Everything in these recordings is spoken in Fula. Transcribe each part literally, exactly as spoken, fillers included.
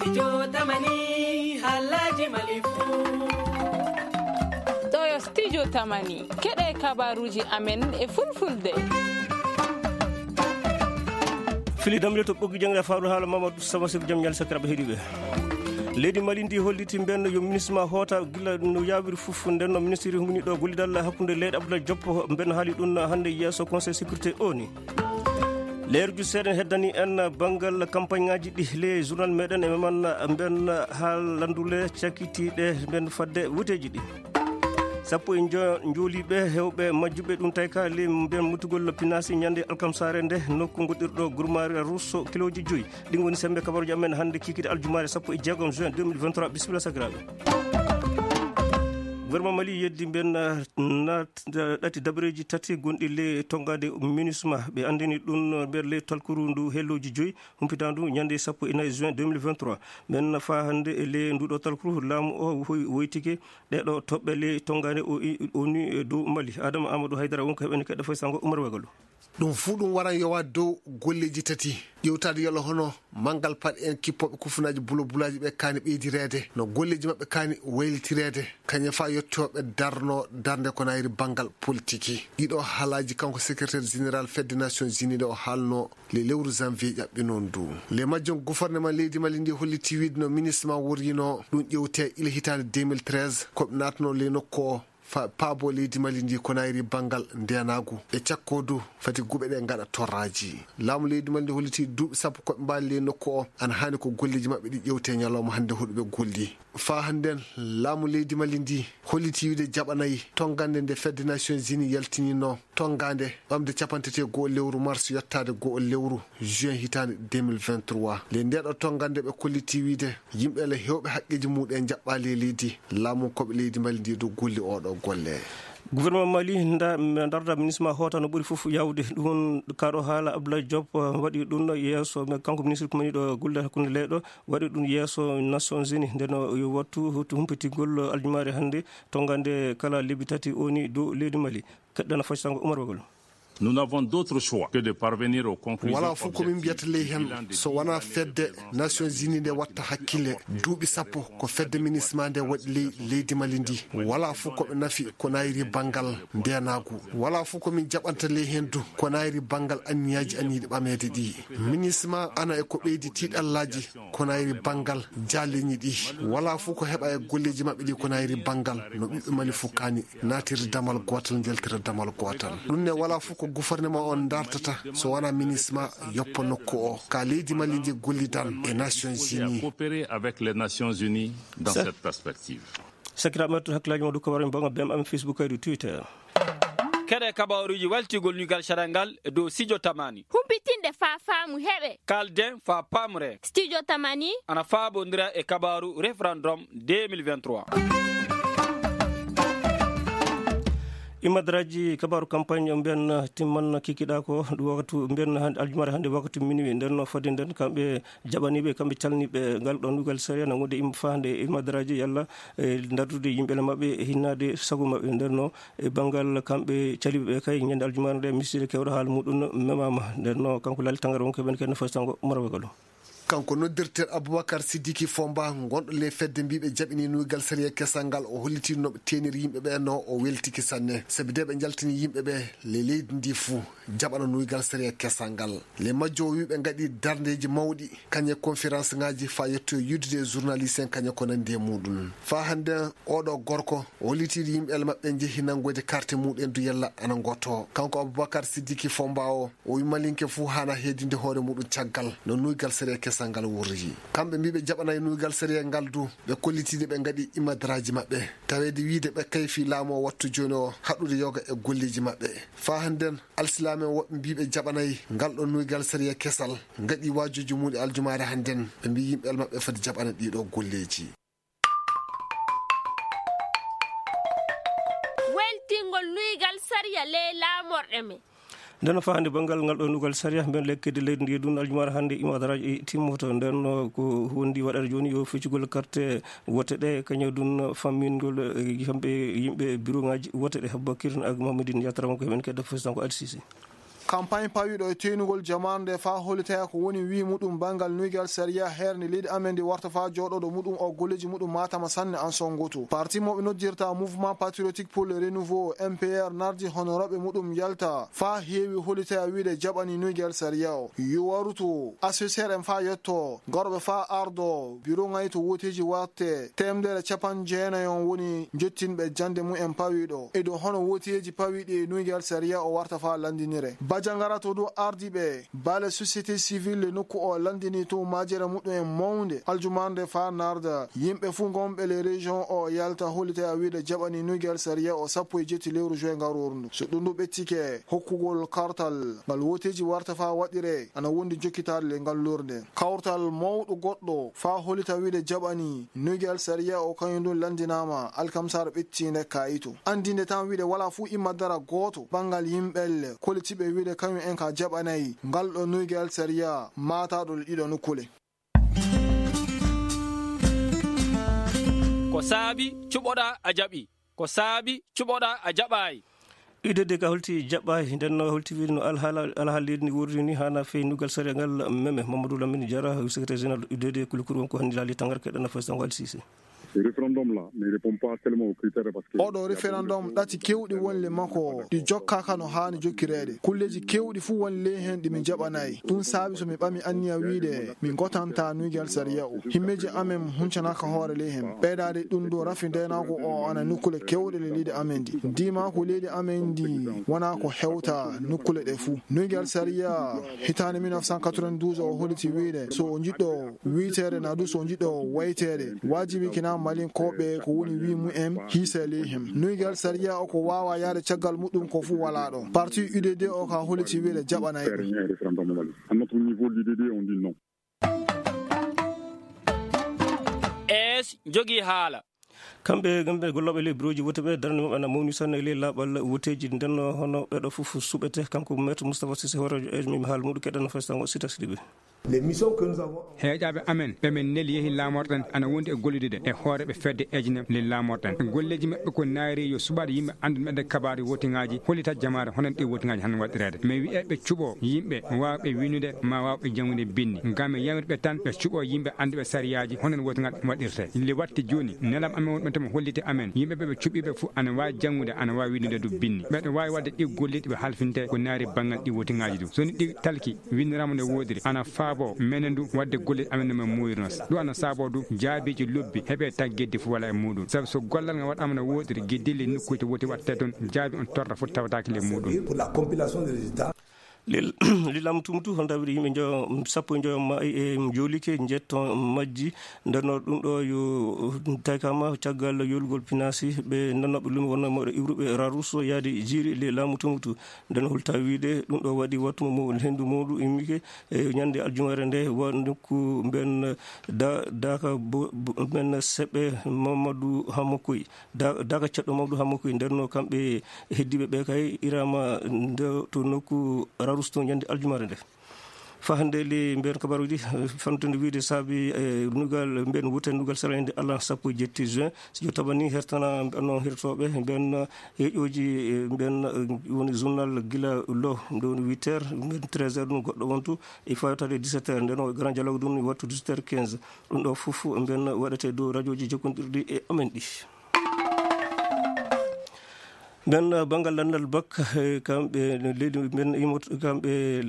Studio Tamani, halaji Mali fu. Ɗo yo Studio Tamani, keɗe kabaruji amen e fulfulde. Fili damle to ɓoggi jangde faɗo haala Mamadou Samba Seck jam ñal sakiraɓe heɗiɓe. Leydi Mali ndi holliti mbenno yo ministre ma hoota gila no yawiri fof. Ndenno ministre humini ɗo gollidal hakkunde leyɗe Abdoulaye Diop, mbenno haali ɗum hannde yeeso Conseil sécurité O N U. Leerju seeɗa heddani en banngal campagne ngaji ɗi le journal meɗen e meman mben haalandule cakitiɗe mben fadde wuteji ɗi. Sappo e njo-, njooliɓe hewɓe majjuɓe ɗum tawi ka le mben muttugol pinasi ñande alkamsare nde nokku goɗɗirɗo gurmari russo kiloji joyi. Ɗin woni sembe kabaruji amen hannde kikide aljumaare sappo e jeegom juin deux mille vingt-trois. Bisimilla sakiraaɓe. Gouvernement Mali yeddi mben, uh, na, uh, ɗati dabareji tati gonɗi le tongade MINUSMA. Ɓe andini ɗum, uh, nder le talkuru ndu helloji joyi humpita ndu ñande sappo e nayi juin deux mille vingt-trois. Mben fa hannde e le nduɗo talkuru laamu o woy-, woytike ɗeɗo toɓɓe le tongade o i-, O N U e dow Mali. Adama Amadou Haydara wonko heɓen keɗɗo fay sango Oumar Wagalo. Ɗum fuu ɗum waran yowaade dow golleeji tati. Ƴeewtaade yolo hono manngal paɗe en kippooɓe kufunaaji bulo bulaaji ɓe kaani ɓeydireede, no golleeji maɓɓe kaani waylitireede, kañum fa yettooɓe darno darnde ko nayri banngal politiki. Ɗiɗo haalaaji kanko secrétaire général fedde Nations Unies nde o haalno le lewru janvier ƴaɓɓi noon du. Le majjum gouvernement leydi Mali ndi holliti wiide no ministre ma worrino ɗum ƴeewte ila hitaande deux mille treize, ko ɓe naatno le nokku o fa paabo leydi Mali ndi ko nayri banngal ndenaagu e cakko du fati guɓe ɗe ngaɗa torraaji. Laamu leydi Mali ndi holliti duuɓi sappo ko ɓe mbaali ley nokku o ana haani ko golleeji maɓɓe ɗi ƴeewte ñalawma hannde hoɗuɓe golli. Fa hannden laamu leydi Mali ndi holliti wiide jaɓanayi tongande nde fedde Nations Unies yaltinino tongande ɓamde capanɗe tati e go'o lewru mars yottaade go'o lewru juin hitaande deux mille vingt-trois. Le ndeɗo tongande ɓe kolliti wiide yimɓe le hewɓe haqqeeji muɗum jaɓɓaali e leydi, laamu koɓe leydi Mali ndi dow golli oɗo golle. Gouvernement Mali nda-, darda ministre ma hoota no ɓuri fof yawde. Ɗum kaɗo haala Abdoulaye Diop, uh, waɗi ɗum yeeso, mais kanko ministre ko mani ɗo golle hakkunde leyɗo, waɗi ɗum yeeso Nations Unies. Nden o yo wattu humpiti-, humpitigol aljumaare hannde, tongande kala lebbi tati O N U dow leydi Mali. Keɗɗana fay sango Oumar Bagol. Nous n'avons d'autre choix que de parvenir aux conclusions. Wala fof ko min mbiyata ley heen so wonaa fedde Nations Unies nde watta hakkille. Duuɓi sappo ko fedde MINUSMA nde waɗi ley leydi Mali ndi. Wala fof ko ɓe nafi ko nayri banngal ndenaagu. Wala fof ko min jaɓanta ley heen du ko nayri banngal anniyaaji aniiɗi ɓameede ɗi. MINUSMA ana e ko ɓeydi tiiɗallaaji ko nayri banngal jaalleñi ɗi. Wala fof ko heɓa e golleeji maɓɓe ɗi ko nayri banngal no ɓiɓɓe Mali fof kaani. Naatirde damal gootal, njaltira damal gootal. Ɗum ne wala fof ko gouvernement on dartata so wonaa MINUSMA yoppa nokku o. Ka leydi Mali ndi gollidan e Nations Unies. Coopérer avec les Nations Unies dans cette perspective. Sakiraaɓe, mettoɗen hakkillaaji mon dow kabaaruji bonga B M am Facebook kaydi Twitter. Keɗe kabaaruji waltigol nuygal sariya ngal e dow Studio Tamani. Humpitinde faa faamu heɓe. Kalden faa paamre. Studio Tamani. Ana faabondira e kabaaru référendum deux mille vingt-trois. Imadraji kabaaru campagne mbiyan timman kikiɗa ko ɗum waktu mbiyan hande, aljumare hande waktu minuit. Nden no fodde nden kamɓe jaɓaniɓe, kamɓe calniɓe ngal ɗon nuygal sariya na wonde im-, fahande imadraji yalla, e, dardude yimɓe maɓɓe e hinnade sago maɓɓe. Nden no e banngal kamɓe caliɓe ɓe kay ñande aljumare nde miside kewɗo haala muɗum memama. Nden no kanko Lali Tangara wonko ɓen kadi no fay sango Umar Wagalo. Kanko noddirteeɗo Aboubacar Siddiqui Fomba, gonɗo ley fedde mbiiɓe jaɓini nuygal sariya kesal ngal, o holliti no ɓe teeniri yimɓe ɓe, no o weltiki sanne. Sabi de ɓe njaltini yimɓe ɓe ley leydi ndi fuu jaɓana nuygal sariya kesal ngal. Ley majjo o wii ɓe ngaɗi darndeeji mawɗi, kañe conférence ngaji faa yetto e yiddude e journaliste en kañe ko nandi e muɗum. Faa hannde oɗo gorko o holliti yimɓe maɓɓe njehi nanngoyde carte muɗum du yalla ana ngoto. Kanko Aboubacar Siddiqui Fomba o, o wi Malinke fuu haana heedinde hoore muɗum caggal no nuygal sariya kesal ngal wurri. Kamɓe mbiiɓe jaɓanayi nuygal sariya ngal du, ɓe kollitiiɗe ɓe ngaɗi imadraji maɓɓe. Taweede wiide ɓe kayfi laamu o wattu jooni o haɗude yoga e golleeji maɓɓe. Faa hannden alsilaame woɓɓe mbiiɓe jaɓanayi ngal ɗo nuygal sariya kesal ngaɗi waajuuji muɗum aljumaare hannden. Ɓe mbii yimɓe maɓɓe foti jaɓana ɗiɗo golleeji. Weltingol nuygal sariya ley laamorɗe men. Nden no fahande banngal ngal ɗo nuygal sariya, mben lekkede leydi ndi ɗum aljumaare hannde imadaraaji timmoto. Nden no ko wondi waɗata jooni yo feccugol carte wote ɗe, kañum ɗum fammingol, eh, kamɓe yimɓe bureau ngaji wote ɗe. Habbakir ak Mamadine Yatara wonko heɓen kedda fes tan ko Adi Sisi. Campagne pawiiɗo e teynugol jamaanu nde faa hollitaya ko woni wii muɗum banngal Nuygal Sariya heerni leydi amen ndi warta faa jooɗooɗo muɗum o golleeji muɗum maatama sanne an sonngoto. Parti mo ɓe noddirta Mouvement Patriotique pour le Renouveau, M P R, nardi honorooɓe muɗum yalta faa heewi hollitaya wiide jaɓani Nuygal Sariya o. Yo waruto assesseur en faa yetto garooɓe faa ardo biro ŋayto wooteeji watte teemedere capanɗe jeenayon woni jottinɓe jannde mumen pawiiɗo. E dow hono wooteeji pawiiɗi e Nuygal Sariya o warta faa lanndinire. Bajangara to dow ardiiɓe baale société civile nokku o lanndini to majere muɗum en mawnde aljumaande faa narda. Yimɓe fuu ngonɓe le région o yalta hollitaya wiide jaɓani Nuygal Sariya o sappo e jetti lewru juin ngarooru ndu. So ɗum ɗum ɓettike hokkugol kartal ngal wooteeji warta faa waɗire ana wondi jokkitaade le ngal lorde. Kawtal mawɗo goɗɗo faa hollita wiide jaɓani Nuygal Sariya o kañum ɗum lanndinaama alkamsar ɓettiinde kayito. Anndinde tan wiide walaa fuu imma dara gooto banngal yimɓelle kollitiiɓe wiide kañum en ka jaɓanay ngal ɗo Nuygal Sariya maataaɗo le ɗiɗo nokkule. Ko saabi cuɓoɗaa a jaɓi. Ko saabi cuɓoɗaa a jaɓaay. U D D ka holti jaɓɓaay, nden no holti wiide no alhaala, alhaali leydi ndi wuurdi ni haana fey nuggal sariya ngal meme. Mamadou Lamine Diarra, secrétaire général U D D, kuli kuru won ko hanndi laali tangar keɗana fay sango Al Sisi. Le référendum là ne répond pas seulement aux critères parce que oɗo référendum ɗati kewɗi wonle makko ɗi jokkaaka no haani jokkireede. Kulleeji kewɗi fuu won ley heen ɗi min jaɓanaay. Ɗum saabi so mi ɓami anniya wiide min ngotanta nuygal sariya o. Himmeeji amen huncanaaka hoore ley heen. Ɓeydaade ɗum ɗo rafi ndeenaango o ana nokkule kewɗe le leydi amen ndi. Ndiimaaku leydi amen ndi wonaa ko hewta nokkule ɗe fuu. Nuygal sariya hitaande mille neuf cent quatre-vingt-douze o holliti wiide so o njiɗɗo wiyteede naa du so o njiɗɗo wayteede, waajibi kina Malinkooɓe ko woni wii mumen hiisee ley heen. Nuygal sariya o ko waawaa yahde caggal muɗum ko fuu walaa ɗo. Parti U D D o ka holliti wiide jaɓanaay ɗum. Faire un référendum au Mali. À notre niveau, l'U D D, on dit non. Es jogii haala. Kamɓe, kamɓe gollooɓe ley birooji wote ɓe, darnde maɓɓe ana mawni sanne ley laaɓal woteeji. Nden hono ɓeɗo fof suɓete. Kanko Maître Moustapha Cissé, hoore mi haala muɗum keɗɗa no fay sango Sita Sidibé. Les missions que nous avons Heeƴaaɓe amen ɓe min neli yehi laamorɗen ana wondi e gollidude e hooreeɓe fedde eejine le laamorɗen. Golleeji maɓɓe ko naayri yo suɓaade yimɓe anndude meɗen kabaaru wotiŋaaji, hollita jamaare hono ɗi wotiŋaaji han waɗireede. Mais wiyeeɓe cuɓo yimɓe waawɓe winnude ma waawɓe janngude binndi. Ngam mi yamir ɓe tan ɓe cuɓo yimɓe annduɓe sariyaaji hono wotiŋaaji waɗirte. Le watti jooni nelam amen wonɓe tan holliti amen yimɓe ɓe ɓe cuɓiiɓe fof ana waawi janngude ana waawi winnude du binndi. Ɓeɗo waawi waɗde ɗi golleeji ɓe halfinte ko naayri banngal ɗi wotiŋaaji du. So ni ɗi talki winndirama no woodiri ana faabo menen du waɗde golle amen no men muuyirno. Ɗum ana saabo du jaabiiji lobbi heɓe taggedde fof wala e muɗum. Sabu so gollal ngal waɗama no woodiri gidilli nokkuuji woti waɗte toon jaabi on torra fof tawataake le muɗum. Pour la compilation des résultats. Lil- lilam tumtu honda wiɗi yimɓe njo sappo e njoyo ma e jolike njetto majji. Ndenno ɗum ɗo yo taykama caggal yolgol pinasi ɓe nannoɓe lumi wonno moɗo iwruɓe raruso yaade jiiri le laamu tumutu. Nden holta wiide ɗum ɗo waɗi wattu mo hendu muɗum immike e ñande aljumare nde wa nokku mben da- daka bo- bo- mben seɓɓe Mamadou Hamokoy da- daka ceɗɗo Mamadou Hamokoy. Ndenno kamɓe heddiɓe ɓe kay irama nde to nokku rarus to ñande aljumare nde. Fa hannde le mben kabaruji fantude wiide saabi e nugal mben wute nugal sarayde allah sappo e jetti juin. Si jo tabani hertana ɓenno hertoɓe mben heƴoji mben woni journal gila lo nde woni huit heures mben treize heures ɗum goɗɗo wontu e fawtade dix-sept heures nden o grand dialogue ɗum wattu dix-sept heures quinze. Ɗum ɗo fof mben waɗete dow radioji jokkondirɗi e amen ɗi. Nden banngal lanndal bak kamɓe leydi mben imoto kamɓe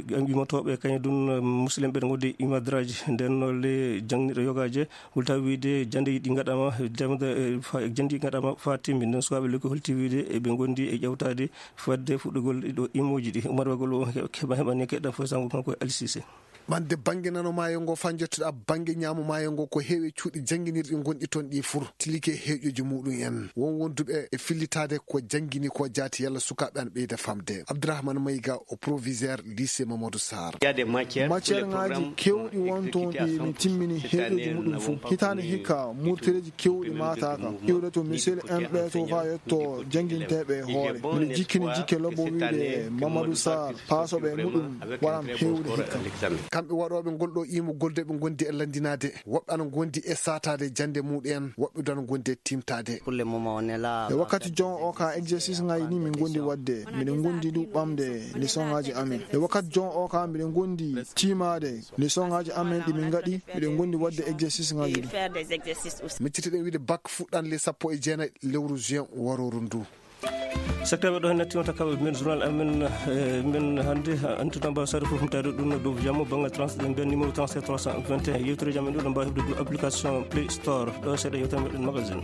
imotooɓe kañum ɗum musidɓe ɓen ngonde imadraji nden nolle jangniɗo yogaje. Wulta wiide jannde ɗi ngaɗama jannde ɗi ngaɗama fa timmi nden sukaɓe lekki holti wiide eɓe ngondi e ƴewtade fadde fuɗɗugol ɗiɗo immoji ɗi umarwagol o keɓa heɓani keɗɗa fof sango kanko e alisise. Ɓande bannge nano maayo ngo faa njottoɗaa bannge ñaamo maayo ngo ko heewi cuuɗi jannginirɗi ngonɗi toon ɗi fur tilike heeƴoji muɗum en won wonduɓe e fillitaade ko janngini ko jaati yalla sukaaɓe ana ɓeyda famde. Abdourahmane Mayga o proviseur lycée Mamadou Sarr. Matière ngaji kewɗi won toon ɗi mi timmini heeƴoji muɗum fof hitaande hikka murtereeji kewɗi maataaka iwde to misel en ɓe to faa yetto jannginteeɓe e hoore miɗo jikkini jikke lobbo wiide Mamadou Sarr paasoɓe muɗum waran heewde hikka. Kamɓe waɗooɓe ngol ɗo iimugol de ɓe ngondi e lanndinaade, woɓɓe ana ngondi e saataade jannde muɗum en, woɓɓe du ana ngondi e tiimtaade. E wakkati jon o ka exercice ngaji ɗi min gondi wadde, miɗen gondi du ɓamde leçon ngaji amen. E wakkati jon o ka miɗen gondi tiimaade leçon ngaji amen ɗi min ngaɗi, miɗen gondi wadde exercice ngaji ɗi. Miccitiɗen wiide bak fuɗɗan le sappo e jeenayi lewru juin warooru ndu. Sakiraaɓe, ɗo hen nattinota kaɓe men journal amen, eh, men hannde, ha, antuɗa mbawa sare fof humtade ɗum no dow jamma banngal trans, ɓe mbiya numéro trente-sept trois cent vingt et un. Yewtere jam en ɗo, ɗo mbawa heɓde dow application Play Store. Ɗo seeɗa yewtere meɗen magazine.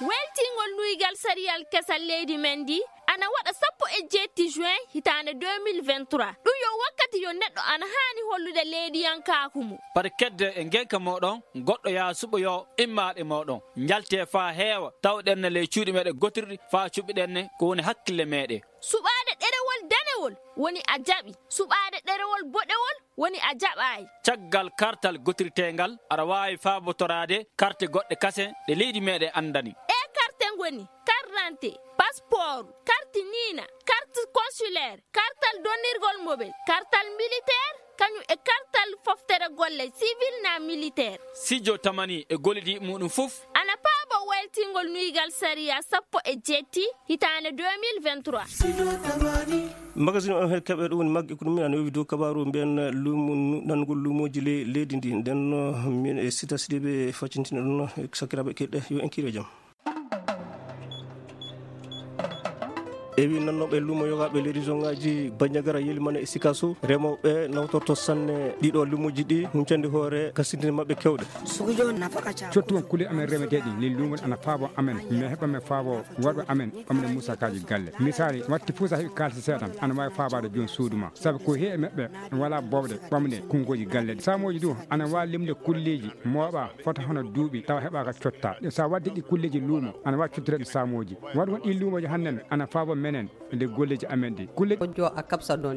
Weltingol nuygal sariyal kesal leydi men ndi ana waɗa sappo e jeetti juin hitaande deux mille vingt-trois. Ɗum yo wakkati yo neɗɗo ana haani hollude leydiyankaaku mum. Pati kedde e ngenka mooɗon, goɗɗo yaa suɓoyoo immaaɗe mooɗon. Njaltee faa heewa, tawɗen ne ley cuuɗi meɗen gotirɗi faa cuɓiɗen ne ko woni hakkille meɗen. Suɓaade ɗerewol danewol woni a jaɓi. Suɓaade ɗerewol boɗewol woni a jaɓaay. Caggal kartal gotirteengal, aɗa waawi faabotoraade karte goɗɗe kasen ɗe leydi meɗen anndani. Ɗee karte ngoni carte d'identité, passeport, carte niina, carte consulaire, kartal donnirgol mobel, kartal militaire, kañum e kartal foftere golle civil na militaire. Sijo tamani e gollidiiɓe muɗum fof. Ana paabo weltingol nuygal sariya sappo e jeetti hitaande deux mille vingt-trois. Magazine on, heɗ keɓe ɗum woni maggi ko ɗum min ana yowi dow kabaaru mbiyen lumo, nanngol lumooji le-, leydi ndi. Nden no min e Sita Sidibe faccintina ɗum no e sakiraaɓe keɗɗe, yo en kiire jam. Ewi nannooɓe lumo yogaaɓe leydi zongaaji Bandiagara, Yelimane e Sikaso, remooɓe nawtorto sanne ɗiɗo lumooji ɗi, huncande hoore kasindine maɓɓe kewɗe. Cottugal kulle amen remeteeɗi, le lumo ana faabo amen, mi heɓa mi faabo worɓe amen ɓamde musakaaji galle. Misaali, watti fuu so a heɓi kaalisi seeɗa, ana waawi faabaade jooni suudu ma. Sabu ko heewi maɓɓe wala boowɗe ɓamde konngooji galle. Saamooji du ana waawi limde kulleeji mooɓa fota hono duuɓi tawa heɓaaka cotta. Ɗe so a waddi ɗi kulleeji luumo, ana waawi cottude ɗi saamooji. Waɗugol ɗi luumooji hannden ana faabo menen nde golleeji amen ɗi. Kulle.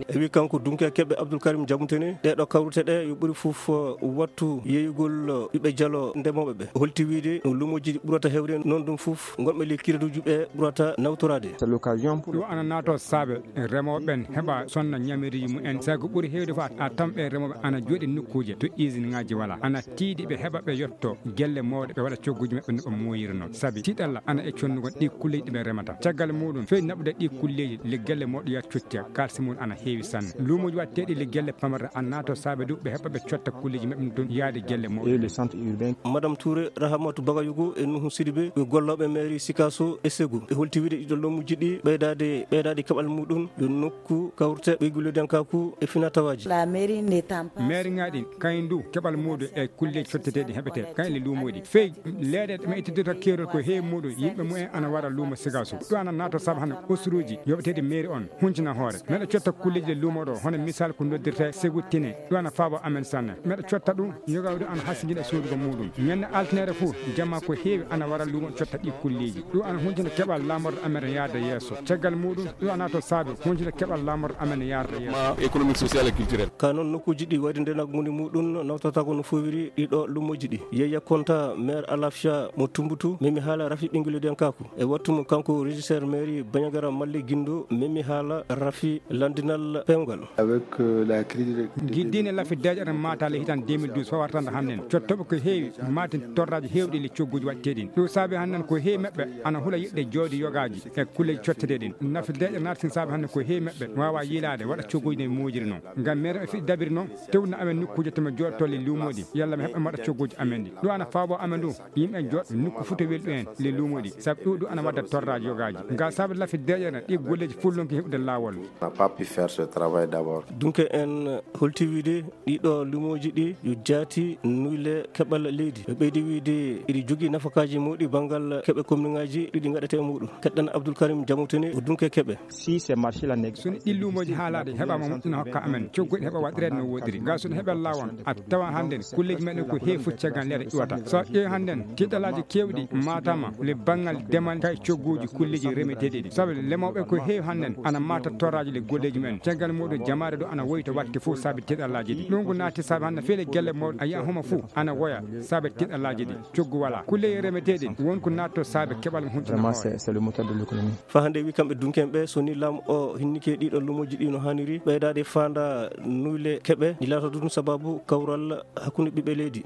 E wi kanko Dunke Keɓe Abdoul Karim Jamutene, ɗee ɗo kawrute ɗe yo ɓuri fof wattu yeeyugol ɓiɓɓe jalo ndemooɓe ɓe. Holti wiide luumooji ɗi ɓurata heewde noon ɗum fof, ngonɓe ley kireduuji ɓe ɓurata nawtoraade. Ɗum ana naato saabe remooɓe ɓen heɓa sonna ñamereeji mumen. Sabu ko ɓuri heewde fof a tamɓe remooɓe ana jooɗi nokkuuje to usine ŋaaji wala. Ana tiiɗi ɓe heɓa ɓe yotto gelle mawɗe, ɓe waɗa cogguuji maɓɓe no ɓe mooyiri noon. Sabi tiiɗalla ana e connugol ɗi kulleeji ɗi ɓe remata. Caggal muɗum, fey naɓude ɗi kulleeji, le gelle mawɗe yaa cottiya, kaalisi mum ana heewi sanne. Luumooji waɗteeɗi le gelle pamarɗe ana naato saabe du ɓe heɓa ɓe cotta kulleeji maɓɓe ɗum toon yaade gelle mawɗe. Madame Touré, Rahamatu Bagayugu e Nuhu Sidibe, ɓe gollooɓe mairie Sikaso e Segu. Ɓe holti wiide ɗiɗo luumooji ɗi ɓeydaade, ɓeydaade keɓal muɗum yo nokku kawrte ɓeygol leydiyankaaku e finatawaaji. Maire ŋaaɗi kañum du keɓal muuɗum e kulleeji cotteteeɗi heɓetee kañum le luumooji. Fey leeɗe ɗe ɓe ittidata keerol ko heewi muuɗum yimɓe mumen ana wara luumo Sikaso. Ɗum ana naato sabu hannde usuruuji yoɓeteeɗi mairie on huncina hoore. Meɗa cotta kulleeji le luumo ɗo, hono misal ko noddirta Segu Tine. Ɗum ana faabo amen sanne. Meɗa cotta ɗum, yoga ɗum ana hasindina e soodugo muuɗum. Ñande altine fof, jamma ko heewi ana wara luumo cotta ɗi kulleeji. Ɗum ana huncina keɓal laamorɗo amen yaade yeeso. Caggal muuɗum, ɗum ana to saabi huncina keɓal laamorɗo amen yaade yeeso. Économique, social et culturel. Ka noon nokkuuji ɗi wayde ndenagu moni muuɗum nawtata ko no fowiri ɗiɗo luumoji ɗi. Yeeya Konta, maire Alafia mo Tumbutu, memi haala rafi ɓinngel denkaku. E wattu mo kanko régisseur mairie Bandiagara Malle Guindo, memi haala rafi landinal pewngal. Avec, euh, la crise de Giddine lafi deeƴere maataale hitan deux mille douze fawartande hannden. Cottooɓe ko heewi maati torraaji heewɗi le cogguuji waɗteeɗi. Ɗum saabi hannden ko heewi maɓɓe ana hula yiɗde jooɗi yogaaji e kulleeji cotteteeɗi. Nafi deeƴere naati saabi hannden ko heewi maɓɓe waawa yiilaade waɗa cogguuji no moojiri noon. Ngam meere ɓe fiɗi dabiri noon, tewna amen nokkuuje to mi jooɗotoo le luumooji, yalla mi heɓa mi waɗa cogguuji amen ɗi. Ɗum ana faabo amen ɗum, yimɓe jooɗ nokku futa welɗo en le luumooji, sabu ɗum ɗum ana wadda torraaji yogaaji. Ngal saabi lafi deeƴere ɗi golleeji fullonki heɓude laawol. On n'a pas pu faire ce travail d'abord. Dunke en holti wiide ɗiɗo luumooji ɗi yo jaati nuyle keɓal leydi. Ɓe ɓeydi wiide iɗi jogii nafakaaji muuɗi banngal keɓe komniŋaaji ɗiɗi ngaɗata e muuɗum. Keɗɗan Abdoul Karim Jamutene o Dunke Keɓe. Si ces marchés-là n'existent. So ɗi luumooji haalaade heɓaama moƴƴina hokka amen, cogguɗi heɓa waɗireede no woodiri. Ngal so ɗum heɓa laawol, a tawa hannden kulleeji meɗen ko heewi fuccagal leɗɗe iwata. So a ƴeewi hannden, tiiɗalaaji keewɗi maataama le banngal demal kay cogguuji kulleeji remeteeɗi ɗi. Sabu Remooɓe ko heewi hannden ana maata torraaji ɗi golleeji mumen. Caggal muɗum jamaare ɗo ana woyta waɗde fof saabe tiiɗallaaji ɗi. Ɗum ko naati saabe hannde feele gelle mawɗe a yiya homo fof ana woya saabe tiiɗallaaji ɗi. Coggu wala. Kulleeji remeteeɗi won ko naatto saabe keɓal mo huntini hoore. Fa hannde wi kamɓe dunken ɓe so ni lam o hinnike ɗiɗo lumoji ɗi no haniri ɓeydaade faanda nuyle keɓe ɗi laata ɗum sababu kawral hakkunde ɓiɓɓe leydi.